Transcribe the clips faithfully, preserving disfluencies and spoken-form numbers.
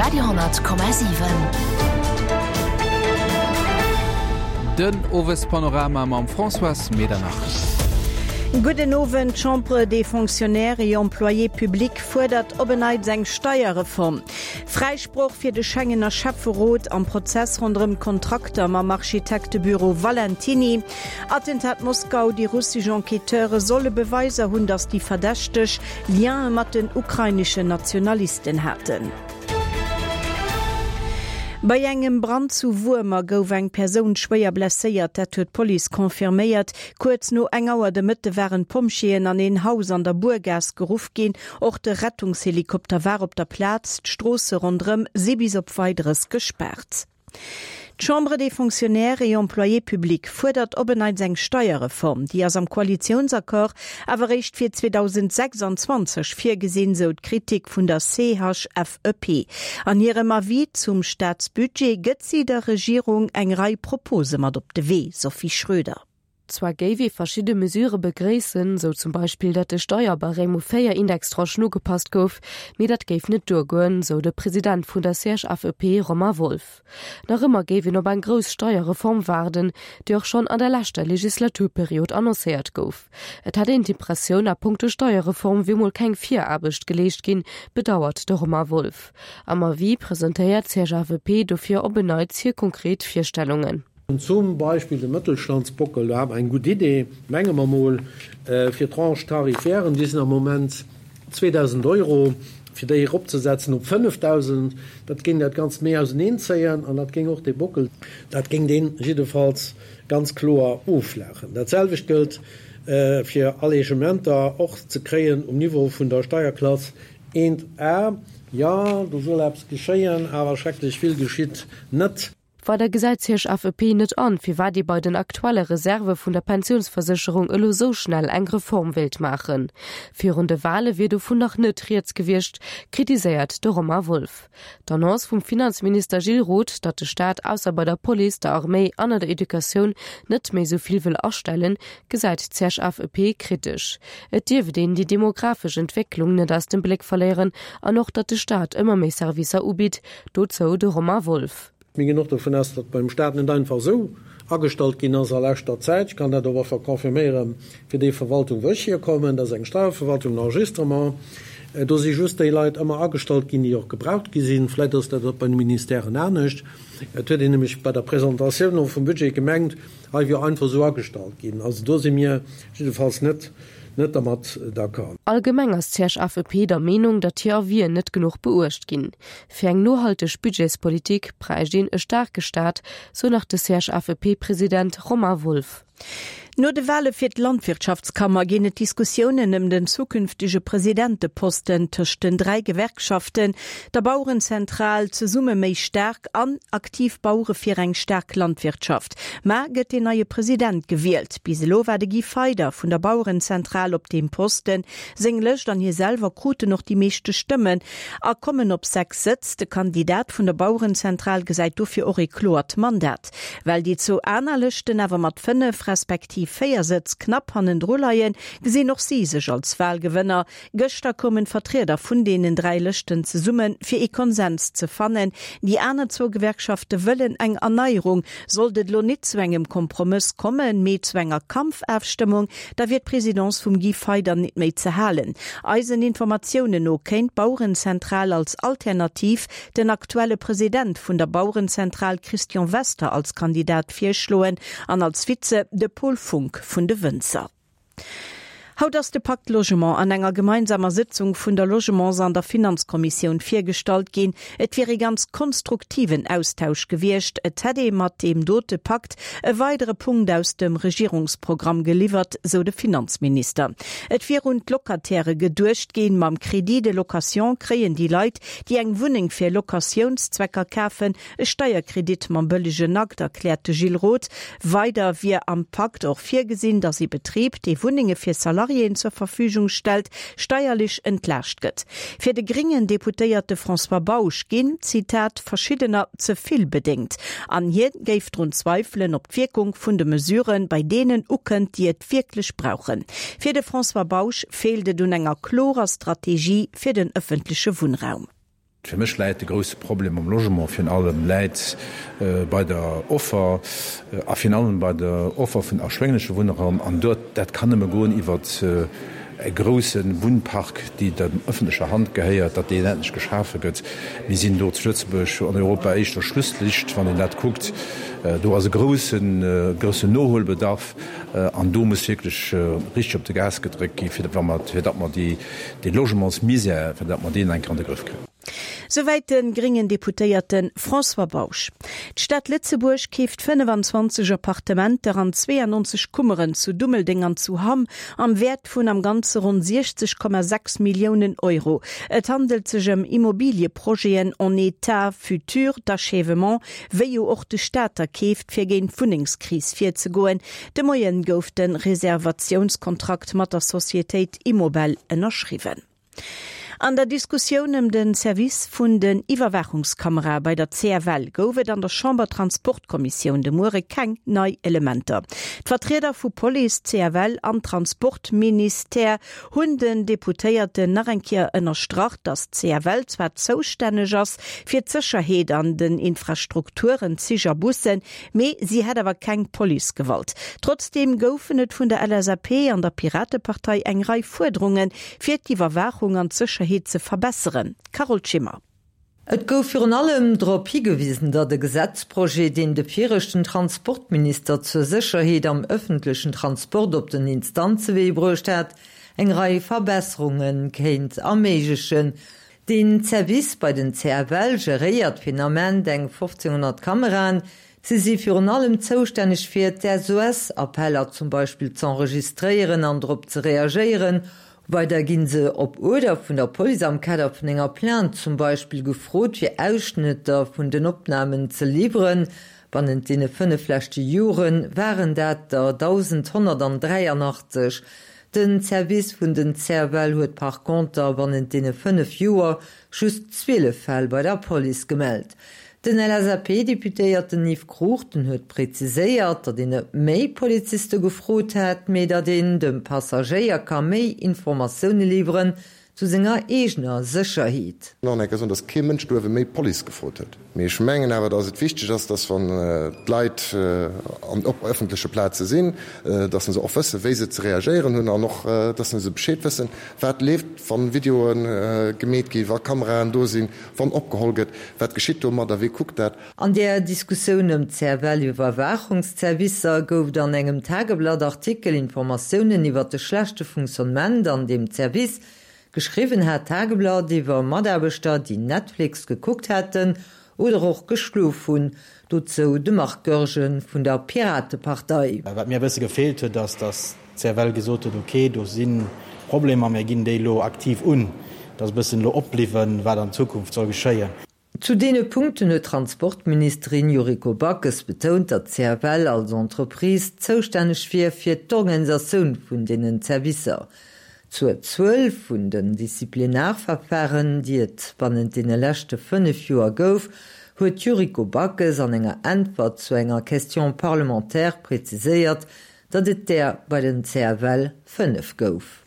Radio honnert Komma siwen. Den Owespanorama mam Françoise Medernach. Gudden Owend, D'Chambre des Fonctionnaires et Employés publics fuerdert op en Neits eng Steierreform. Fräisproch fir de Schengener Schäfferot am Prozess ronderëm d'Kontrakter mam Architektebüro Valentiny. Attentat Moskau, Déi russesch Enquêteure solle Beweiser hunn, datt déi Verdächteg Liene mat den ukraineschen Nationalisten haten. Bei engem Brand zu Wuermer gouf eng Persoun schwéier blesséiert, dat huet d'Police confirméiert. Kuerz no eng Auer de Mëtte waren d'Pompjeeën an een Haus an der Buergaass geruff ginn. Och de Rettungshelikopter war op der Plaz. D'Stroosse ronderëm si bis op Weideres gespaart. D'Chambre des Fonctionnaires et Employés publics fuerdert op en Neits eng Steierreform. Déi ass am Koalitiounsaccord awer eréischt fir zweedausendsechsanzwanzeg virgesinn, sou d'Kritik vun der C H F E P. An hirem Avis zum Staatsbudget gëtt si der Regierung eng Rei Propose mat op de Wee. Sophie Schröder. Zwar géif ee verschidde Mesurë begréissen, sou zum Beispill, datt de Steierbarème u véier Indextranchen ugepasst gouf, mee dat géif net duergoen, sou de President vun der C H F E P Romain Wolff. Nach ëmmer géif een op eng grouss Steierreform waarden, déi och schonn an der leschter Legislaturperiod annoncéiert gouf. Et hätt een d'Impressioun, a punkto Steierreform wier mol keng Viraarbecht geleescht ginn, bedauert de Romain Wolff. Am Avis presentéiert d'C H F E P dofir op en Neits hir konkret Virstellungen. Zum Beispill de Mëttelstandsbockel, do hat mer eng gutt Idee, menge mer mol, fir d'Tranche tarifairen, déi sinn am Moment zweedausend Euro, fir déi eropzesetzen op fënnefdausend, dat géing dat Ganzt méi auseneenzéien an dat géing och dee Bockel, dat géing dee jiddefalls ganz kloer offlaachen. Dat selwecht gëllt fir Allègementer och ze kréien um Niveau vun der Steierklass eent A. Jo, do soll eppes geschéien, awer schrecklech vill geschitt net. Weider gesäit d'C H F E P net an, firwat ee bei den aktuelle Reserve vun der Pensiounsversécherung elo sou schnell eng Reform wéilt maachen. Virun de Wale wier dovun nach net rieds gewiescht, kritiséiert de Romain Wolff. D'Annonce vum Finanzminister Gilles Roth, datt de Staat ausser bei der Police, der Arméi an der Educatioun net méi sou vill wëll astellen, gesäit d'C H F E P kritesch. Et dierft een déi demografesch Entwécklung net aus dem Bléck verléieren an och datt de Staat ëmmer méi Servicer ubitt, dozou de Romain Wolff. Mir ginn och dovun aus, datt beim Staat net einfach esou agestallt ginn ass a leschter Zäit. Ech kann dat och einfach confirméieren fir déi Verwaltung, wou ech hierkommen, dat ass eng Steierverwaltung, en Enregistrement. Do si just déi Leit ëmmer agestallt ginn, déi och gebraucht gi sinn. Vläicht ass dat och bei de Ministèren anescht. Et huet een nämlech bei der Presentatioun och vum Budget gemengt, hei wier einfach esou agestallt ginn. Also do si mir jiddefalls net net dermat d'accord. Allgemeng ass d'C H F E P der Meenung, datt hir Avisen net genuch beuecht ginn. Fir eng nohalteg Budgetspolitik bräicht een e staarke Staat, sou nach de C H F E P-President Romain Wolff. No de Wale fir d'Landwirtschaftskammer ginn et Diskussiounen ëm den zukünftege Presidenteposten tëscht den dräi Gewerkschaften, der Bauerenzentral, Zesumme méi staark an Aktiv Bauere fir eng staark Landwirtschaft. Mar gëtt den neie President gewielt. Bis elo war de Guy Feyder vun der Bauerenzentral op deem Posten. Seng Lëscht an hie selwer kruten och déi meeschte Stëmmen a kommen op sechs Sëtz. De Kandidat vun der Bauerenzentral gesäit dofir och e kloert Mandat. Well déi zwou aner Lëschten awer mat fënnef respektiv véier Sëtz knapp hannendru leien, gesinn och si sech als Walgewënner. Gëschter koumen d'Vertrieder vun deenen dräi Lëschten zesummen, fir ee Konsens ze fannen. Déi aner zwou Gewerkschafte wëllen eng Erneierung. Sollt et elo net zu engem Kompromëss kommen, mee zu enger Kampfafstëmmung, da wier d'Presidence vum Guy Feyder net méi ze halen. Eisen Informatiounen no kéint d'Bauerenzentral als Alternativ den aktuelle President vun der Bauerenzentral Christian Wester als Kandidat virschloen an als Vize de Paul Funck vun de Wënzer. Haut ass de Pacte Logement an enger gemeinsamer Sitzung vun der Logements an der Finanzkommissioun virgestallt ginn. Et wier e ganz konstruktiven Austausch gewiescht. Et hätt ee mat deem dote Pakt e weidere Punkt aus dem Regierungsprogramm geliwwert, sou de Finanzminister. Et wier un d'Locataire geduecht ginn. Mam Crédit de location kréien déi Leit, déi eng Wunneng fir Locatiounszwecker kafen, e Steierkredit mam bëllegen Akt, erkläert de Gilles Roth. Weider wier am Pakt och virgesinn, datt e Betrib, dee Wunnenge fir Salariéen zur Verfügung stellt, steierlech entlaascht gëtt. Fir de gréngen Deputéierte François Bausch ginn, Zitat, verschiddener ze vill bedéngt. An hie géif drun zweifelen, ob d'Wierkung vun de Mesuren bei deenen ukënnt, déi et wierklech brauchen. Fir de François Bausch feelt et un enger klorer Strategie fir den ëffentleche Wunnraum. Fir mech läit de grousse Problem am Logement virun allem läit bei der Offer a virun allem bei der Offer vun erschwéngleche Wunnraum. An dort, dat kann nëmme goen iwwert e grousse Wunnpark, déi der ëffentlecher Hand gehéiert, datt deen endlech geschafe gëtt. Mir sinn do zu Lëtzebuerg an Europa éischter Schlusslicht, wann een dat kuckt. Do ass e groussen, groussen Nohuelbedarf an do muss wierklech richteg op de Gas gedréckt gi fir datt mer déi, dee Logementsmisère, fir datt mer deen eng Kéier an de Grëff kréien. Souwäit de gréngen Deputéierte François Bausch. D'Stad Lëtzebuerg keeft fënnefanzwanzeg Appartementer an zweeanonzeg Kummeren zu Dummeldeng an zu Hamm am Wäert vun am Ganze ronn siechzeg Komma sechs Milliounen Euro. Et handelt sech ëm Immobilieprojeten en état futur d'achèvement, wéi jo och de Staat der keeft, fir géint d'Wunnengskris virzegoen. De Moien gouf de Reservatiounskontrakt mat der Societéit Immobel ënnerschriwwen. An der Diskussioun ëm de Service vun den Iwwerwaachungskamerae bei der C F L gouf et an der Chamber-Transportkommissioun de Muere keng nei Elementer. D'Vertrieder vu Police, C F L an Transportministère hunn den Deputéierten nach eng Kéier ënnerstrach, datt d'C F L zwar zoustänneg ass fir d'Sécherheet an den Infrastrukturen, Zich a Bussen, mee si hätt awer keng Policegewalt. Trotzdeem goufen et vun der L S A P an der Piratepartei eng Rei Fuerderungen, fir d'Iwwerwaachung an d'Sécherheet ze verbesseren. Carole Schimmer. Et gouf virun allem drop higewisen, datt e Gesetzprojet, deen de viregten Transportminister zur Sécherheet am ëffentlechen Transport op den Instanzewee bruecht hat, eng Rei Verbesserunge kéint erméiglechen. Den Service bei den C F L geréiert fir den Ament eng fofzénghonnert Kameraen. Si si virun allem zoustänneg fir d'S O S-Appeller zum Beispill z'enregistréieren an drop ze reagéieren. Weider ginn se op Uerder vun der Police am Kader vun enger Plainte zum Beispill gefrot fir Ausschnëtter vun den Opnamen ze liwweren. Bannent deene fënnef leschte Jore waren dat der dausendhonnertdräianachtzeg. Den Service vun den C F L huet par conter bannent deene fënnef Joer just zwielef Fäll bei der Police gemellt. Den L S A P-Deputéierten Yves Cruchten huet präziséiert, datt een net méi Poliziste gefrot hätt, mee datt een dem Passagéier ka méi Informatioune liwweren zu senger eegener Sécherheet. Nach eng Kéier soen, datt kee Mënsch do iewe méi Police gefrot huet. Mee ech mengen awer, datt et wichteg ass, datt wann d'Leit an op ëffentleche Plaze sinn, datt se och wëssen, wéi se ze reagéieren hunn an och datt se Bescheed wëssen, wat leeft, wann Videoe gemeet ginn, wa Kameraen do sinn, wann opgeholl gëtt, wat geschitt domadder, wie kuckt dat. An der Diskussioun ëm d'C F L-Iwwerwaachungsservicer gouf et an engem Tageblatt-Artikel Informatiounen iwwer de schlechte Fonctionnement an deem Service. Geschriwwen hat d'Tageblatt iwwer Mataarbechter, déi Netflix gekuckt hätten oder och geschlof hunn. Dozou de Marc Goergen vun der Piratepartei. Wat mir e bësse gefeelt huet, ass, datt d'C F L gesot huet, ok, do si Problemer, mir ginn déi elo aktiv un. Et ass e bëssen elo opbliwwen, wat an Zukunft soll geschéien. Zu deene Punkten huet d'Transportministerin Yuriko Backes betount, datt d'C F L als Entreprise zoustänneg wier fir d'Organisatioun vun deenen Servicer. Zur Zuel vun den Disziplinarverfahren, déi et bannent deene leschte fënnef Joer gouf, huet d'Yuriko Backes an enger Äntwert zu enger Question parlementaire preziséiert, datt et där bei den C F L fënnef gouf.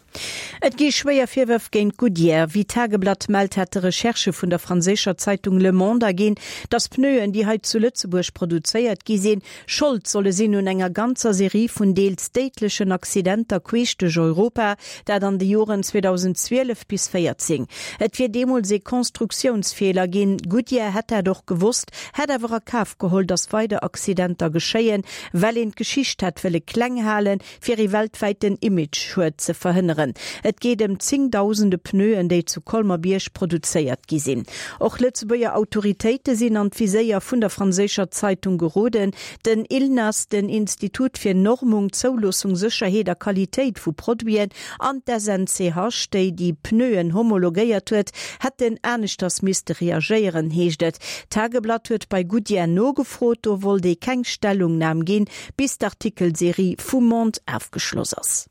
Et gi schwéier Virwërf géint Goodyear. Wéi d'Tageblatt mellt, hätte Recherchë vun der franséischer Zeitung Le Monde erginn, datt Pneuen, déi hei zu Lëtzebuerg produzéiert gi sinn, Schold solle sinn un enger ganzer Serie vun deels déidlechen Accidenter queesch duerch Europa, dat an de Joren zweedausendzwielef bis véierzéng. Et wier deemools ee Konstruktiounsfeeler ginn. Goodyear hätt dat och gewosst, hätt awer a Kaf geholl, datt weider Accidenter geschéien, well een d'Geschicht hätt wëlle kleng halen, fir ee weltwäiten Image-Schued ze verhënneren. Et geet ëm zéngdausende Pneuen, déi zu Colmer-Bierg produzéiert gi sinn. Och Lëtzebuerger Autoritéite sinn an d'Viséier vun der franséischer Zeitung geroden. Den ILNAS, den Institut fir Normung, Zouloossung, Sécherheet a Qualitéit vu Produiten, an d'S N C H, déi déi Pneuen homologéiert huet, hätten aneschters misste reagéieren, heescht et. D'Tageblatt huet bei Goodyear nogefrot, do wollt ee keng Stellungnam ginn, bis d'Artikelserie vum Monde ofgeschloss ass.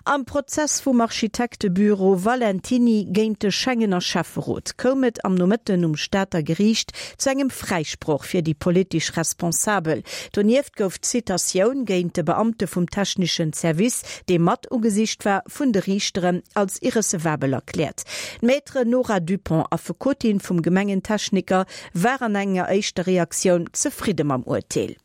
Am Prozess vum Architektebüro Valentiny géint de Schengener Schäfferot koum et am Nomëtten um Stater Geriicht zu engem Fräisproch fir déi politesch Responsabel. Donieft gouf d'Citatioun géint de Beamte vum techneschen Service, dee mat ugesicht war, vun de Riichteren als irrecevabel erkläert. D'Maître Nora Dupont, Affekotin vum Gemengentechniker, war an enger éischter Reaktioun zefridde mam Urteel.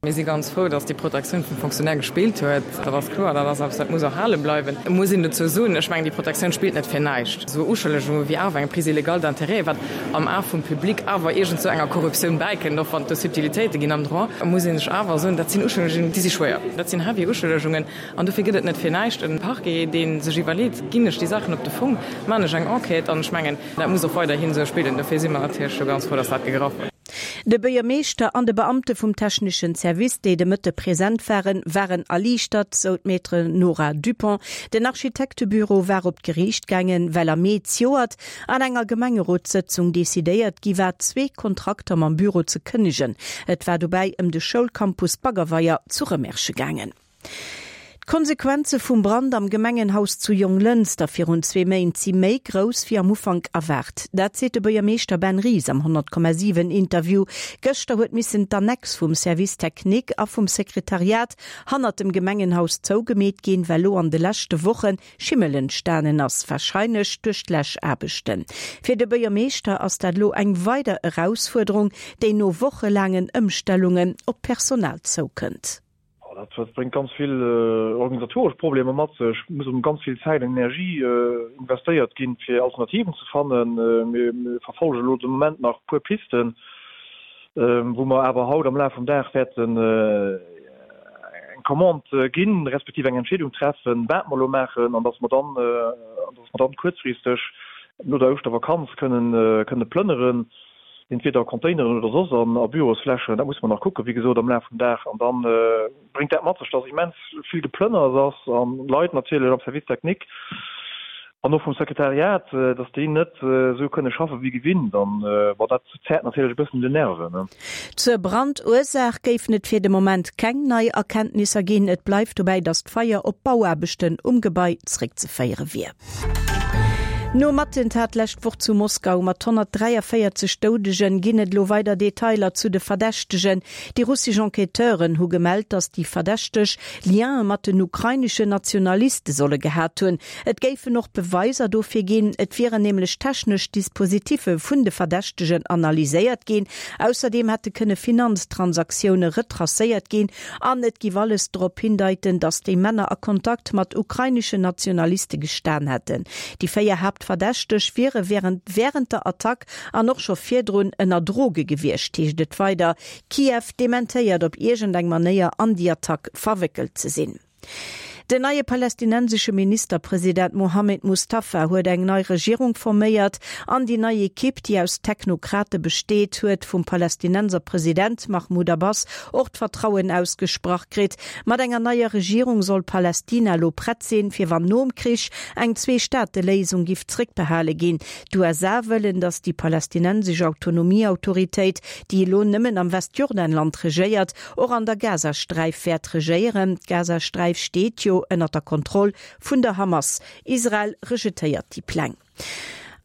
Mir si ganz frou, dass déi Protektioun vum Fonctionnaire gespillt huet. Dat ass kloer, dat ass eppes, dat muss erhale bleiwen. Et muss een dozou soen, ech mengen, déi Protektioun spillt net fir näischt. Esou Uschëllegunge wéi awer eng Prise illégale d'intérêts, wat am A vum Public awer iergend sou enger Korruptioun bäikënnt, och wann et do Subtilitéite ginn am Droit, muss ee sech awer soen, dat sinn Uschëllegungen, déi si schwéier. Dat sinn heavy Uschëllegungen an dofir gëtt et net fir näischt e Parquet, dee sech iwwerleet, Ginn ech déi Saachen op de Fong, maachen ech eng Enquête? An ech mengen, dat muss och weiderhin esou spillen. Dofir si mer natierlech do ganz frou, dass dat gegraff huet. De Buergermeeschter an de Beamte vum techneschen Service, déi de Mëtte present waren, waren erliichtert, sou d'Maître Nora Dupont. Den Architektebüro war op d'Geriicht gaangen, well am Mee zejoert an enger Gemengerotssëtzung decidéiert gi war, zwee Kontrakter mam Büro ze kënnegen. Et war dobäi ëm de Schoulcampus Baggerweier zu Rëmersche gaangen. D'Konsequenze vum Brand am Gemengenhaus zu Jonglënster virun zwee Méint si méi grouss wéi am Ufank erwaart. Dat seet de Buergermeeschter Ben Ries am honnert Komma siwen Interview. Gëschter huet missen d'Annex vum Service technique a vum Sekretariat hannert dem Gemengenhaus zougemeet ginn, well lo an de leschte Woche Schimmel entstanen ass, warscheinlech duerch d'Läschaarbechten. Fir de Buergermeeschter ass dat lo eng weider Erausfuerderung, déi no wochelaangen Ëmstellungen op d'Personal zoukënnt. Dat bréngt ganz vill organisatoresch Problemer mat sech. Et muss erëm ganz vill Zäit an Energie investéiert ginn, fir Alternativen ze fannen. Mir verfollege elo de Moment nach e puer Pisten, wou mer awer haut am Laf vum Dag wäerten eng Commande ginn, respektiv eng Entscheedung treffen, wat mer elo maachen, an dass mer dann, dass mer dann kuerzfristeg no der Ouschtervakanz kënnen, kënne plënneren. entweder a Containeren oder soss an a Bürosflächen, dat musse mer nach kucken, wéi gesot, am Laf vum Dag. An da bréngt dat mat sech, dass immens vill Geplënners ass an Leit natierlech am Service technique an och vum Sekretariat, dass déi net esou kënne schaffen, wéi gewinnt. An bon, dat zerrt natierlech e bëssen un den Nerven. Zur Brandursaach géifen et fir de Moment keng nei Erkenntnisser ginn. Et bleift dobäi, dass d'Feier op Bauaarbechten um Gebai zréckzeféiere wier. Nom Attentat d'lescht Woch zu Moskau mat honnertdräiavéierzeg Doudegen ginn et elo weider Detailer zu de Verdächtegen. Déi russesch Enquêteuren hu gemellt, datt déi Verdächteg Liene mat den ukraineschen Nationaliste solle gehat hunn. Et géifen och Beweiser dofir ginn, et wieren nämlech technesch Dispositiffe vun de Verdächtegen analyséiert ginn. Ausserdeem hätte kënne Finanztransaktioune retracéiert ginn an et giff alles drop hindeiten, datt déi Männer a Kontakt mat ukraineschen Nationaliste gestan hätten. Déi véier Haaptverdächteg wiere wärend wärend der Attack an och scho virdrun ënner Droge gewiescht, heescht et weider. Kiew dementéiert op iergendeng Manéier an déi Attack verwéckelt ze sinn. Den neie palästinensesche Ministerpresident Mohammed Mustafa huet eng nei Regierung forméiert an déi nei Ekipp, déi aus Technokrate besteet, huet vum Palästinenser President Mahmoud Abbas och d'Vertrauen ausgesprach kritt. Mat enger neier Regierung soll Palästina elo prett sinn, fir wann nom Krich eng Zwee-Staate-Léisung giff zréckbehale ginn. D'USA wëllen, datt déi palästinensesch Autonomieautoritéit, déi elo nëmmen am Westjordanland regéiert, och an der Gazasträif wäert regéieren. D'Gazasträif steet jo ënner der Kontroll vun der Hamas. Israel rejetéiert déi Pläng.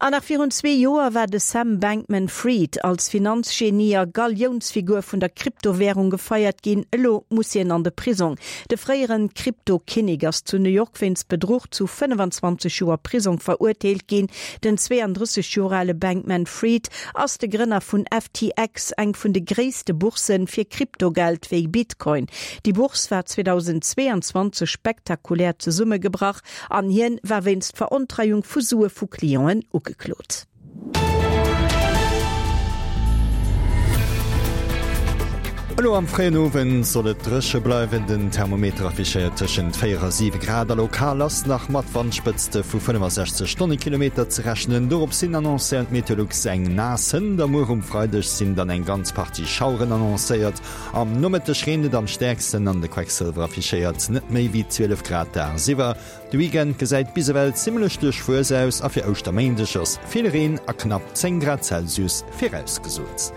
An nach virun zwee Joer war de Sam Bankman-Fried als Finanzgenie a Galiounsfigur vun der Kryptowärung gefeiert ginn. Elo muss hien an de Prisong. De fréieren Krypto-Kinnek ass zu New York wéinst Bedruch zu fënnefenzwanzeg Joer Prisong verurteelt ginn. Den zweeandrësseg Joer ale Bankman-Fried ass de Grënner vun F T X, eng vun de gréisste Bourssen fir Kryptogeld wéi Bitcoin. Déi Bourse war zweedausendzweeanzwanzeg spektakulär zesummegebrach an hien war wéinst Verontreiung vu Sue vu Clienten ugeklot. Elo am fréien Owend soll et dréche bleiwen, den Thermometer affichéiert tëschent véier a siwe Grad a lokal ass nach mat Wandspëtzte vu fënnefasechzeg Stonnekilometer ze rechnen. Dorops hin annoncéiert Meteolux eng naass Hënt a muer um Freideg sinn dann eng ganz Partie Schaueren annoncéiert. Am Nomëtteg reent et am stäerksten an de Quecksëlwer affichéiert net méi wéi zwielef Grad dagsiwwer. De Weekend gesäit bis ewell zimmlech duerchwuess aus a fir Ouschterméindeg ass vill Reen a knapp zéng Grad Celsius virausgesot.